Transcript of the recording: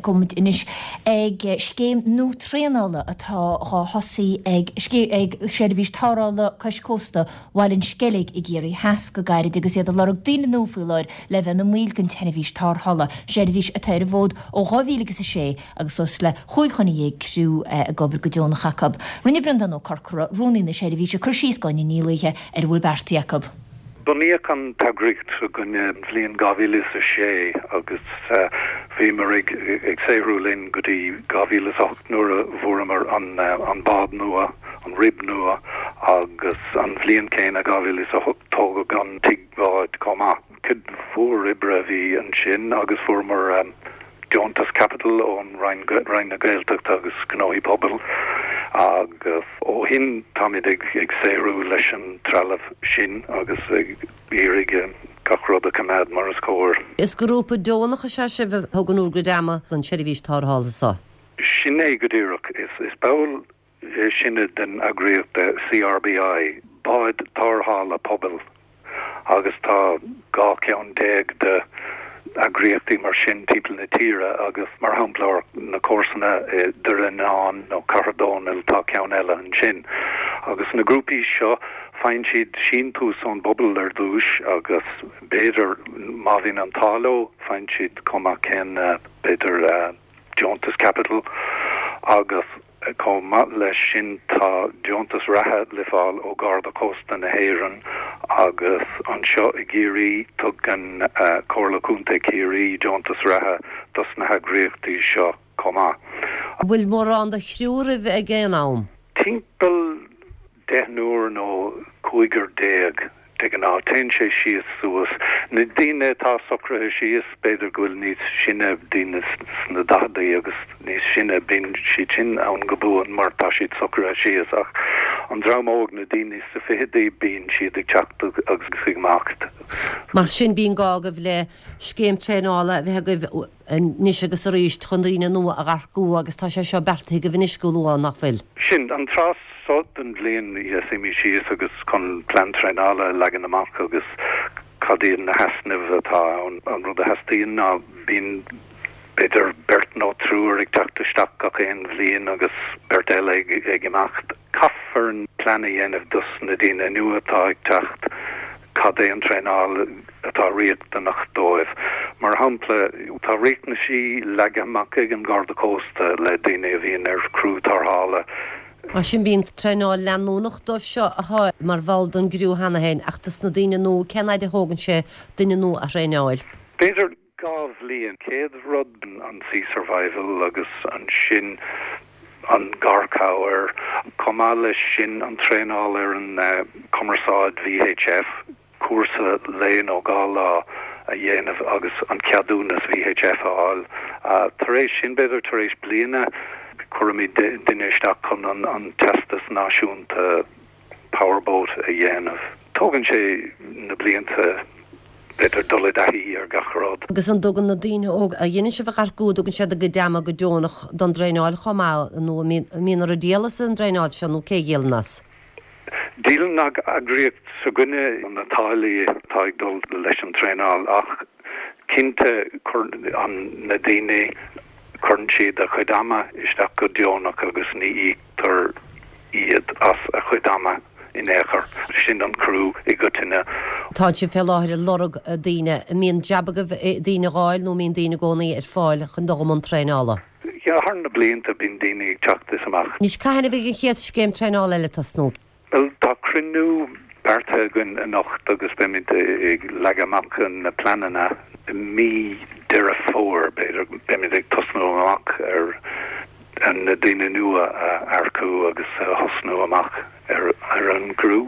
Gabhfaidh muid anois ag scéim nua traenála atá dhá thosaí ag ag Seirbhís Tarrthála Cois Cósta Bhaile an Sceilg i gCiarraí Theas go gairid agus iad ag lorg daoine nua faoi láthair le bheith ina mbaill den tseirbhís tarrthála, seirbhís atá ar an bhfód ó 2006 agus suas le chúig dhuine dhéag criú ag obair go deonach acu. Rinne Breandán Ó Corcora, Rúnaí na seirbhíse, cur síos d'Áine Ní Laoithe ar a bhfuil beartaithe acu. Bunaíodh an t-eagraíocht s'againne an bhliain 2006 agus bhíomar ag saothrú linn go dtí 2008 nuair a bhfuaireamar an bád nua, an RIB nua, agus an bhliain céanna, 2008, tógadh an tigh báid chomh maith. Cuid mhór oibre a bhí ansin agus fuaireamar deontas caipitil ón Roinn, Roinn na Gaeltachta agus Gnóthaí Pobail agus ó shin táimid ag saothrú leis an trealamh sin agus ag iarraidh gach rud a choimeád mar is cóir. Is grúpa deonach is ea sibh a thugann bhur gcuid ama don tseirbhís tarrthála seo. Sin é go díreach. Is ball sinne den eagraíocht CRBI, Báid Tarrthála Pobail, agus tá 12 ceann de eagraíochtaí mar sin timpeall na tíre agus, mar shampla, na comharsana i Doire Fhíonáin nó Cathair Dónall, tá ceann eile ansin. Agus na grúpaí seo, faigheann siad síntiús ón bpobal ar dtús agus b'fhéidir, má bhíonn an t-ádh leo, faigheann siad chomh maith céanna, b'fhéidir, deontas caipitil agus chomh maith leis sin tá deontas reatha le fáil ó Gharda Cósta na hÉireann agus anseo i gCiarraí tugann Comhairle Contae Chiarraí deontas reatha dos na heagraíochtaí seo chomh maith. An bhfuil mórán de chriú agaibh ag aon am? Timpeall deichniúr nó cúigear déag de ghnáth. Téann sé síos suas. Na daoine atá socraithe síos, b'fhéidir go bhfuil níos sine, daoine sna daicheadaí agus níos sine, bíonn siad sin ann go buan mar tá siad socraithe síos. Ach an dream óg, na daoine sna fichidí, bíonn siad ag teacht agus ag imeacht. Mar sin bíonn gá agaibh le scéim traenála a bheith agaibh anois agus arís chun daoine nua a earcú agus tá sé seo beartaithe agaibh anois go luath, nach bhfuil? Sin an tráth so den bhliain a suímid síos agus chun plean traenála a leagan amach agus cad iad na heasnaimh atá ann. An rud a theastaíonn ná bíonn b'fhéidir beirt nó triúr ag teacht isteach gach aon bhliain agus beirt eile ag imeacht. Caithfear plean a dhéanamh dos na daoine nua atá ag teacht. Cad é an traenáil atá riachtanach dóibh? Mar shampla, tá riachtanaisí leagtha amach ag an Gharda Cósta le daoine a bhíonn ar chriú tarrthála. Mar sin, bíonn traenáil leanúnach dóibh seo atá mar bhall den gcriú cheana féin, ach dos na daoine nua, cén fhaid a thógann sé duine nua a thraenáil? B'fhéidir 2 bhliain. Chéad rud an Sea Survival agus ansin an garchabhair. Chomh maith leis sin an traenáil ar an cumarsáid VHF, cúrsa lae nó 2 lá a dhéanamh agus an ceadúnas VHF a fháil. Tar éis sin, b'fhéidir tar éis bliana, cuirimid duine isteach chun an teastas náisiúnta powerboat a dhéanamh. Tógann sé na blianta, b'fhéidir, dul i dtaithí ar gach rud. Agus an dtugann na daoine óga a dhéanann sibh a earcú, an dtugann siad a gcuid ama go deonach don dtraenáil chomh maith nó an mbíonn oraibh díol as an dtraenáil seo nó cé a dhíolann as? Díolann an eagraíocht s'againne na táillí atá ag dul leis an traenáil ach cinnte cuireann na daoine, cuireann siad a chuid ama isteach go deonach agus ní íoctar iad as a chuid ama in aon chor. Sin an criú i gcoitinne. Tá sibh fé láthair ag lorg daoine. An mbíonn jab agaibh daoine a dh'fháil nó an mbíonn daoine i gcónaí ar fáil chun dul i mbun traenála? Yeah, thar na blianta bíonn daoine ag teacht is amach. Anois, cathain a bheidh an chéad scéim traenála eile ag tosnú? Bhuel, tá cruinniú beartaithe againn anocht agus beimid ag leagadh amach na pleananna i mí Deireadh Fómhair, b'fhéidir. Beimid ag tosnú amach ar na daoine nua a earcú agus a thosnú amach ar an gcriú.